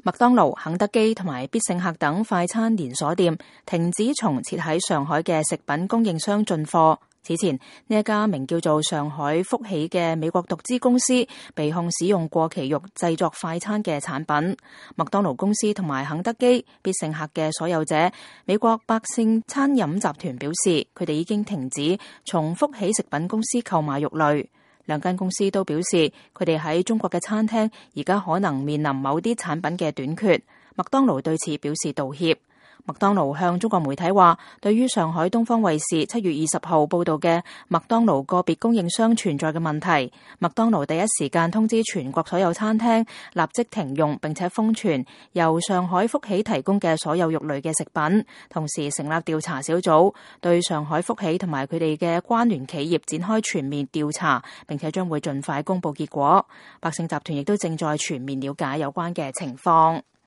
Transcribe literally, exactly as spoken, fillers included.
麥當勞、肯德基同埋必勝客等快餐連鎖店停止從設喺上海嘅食品供應商進貨。此前，呢一家名叫做上海福喜嘅美國獨資公司被控使用過期肉製作快餐嘅產品。麥當勞公司同埋肯德基、必勝客嘅所有者美國百勝餐飲集團表示，佢哋已經停止從福喜食品公司購買肉類。兩間公司都表示，佢哋喺中國嘅餐廳而家可能面臨某啲產品嘅短缺。麥當勞對此表示道歉。麥當勞向中國媒體話，對於上海東方衛視七月二十號報道嘅麥當勞個別供應商存在嘅問題，麥當勞第一時間通知全國所有餐廳立即停用並且封存由上海福喜提供嘅所有肉類嘅食品，同時成立調查小組，對上海福喜同埋佢哋嘅關聯企業展開全面調查，並且將會盡快公布結果。百勝集團亦都正在全面了解有關嘅情況。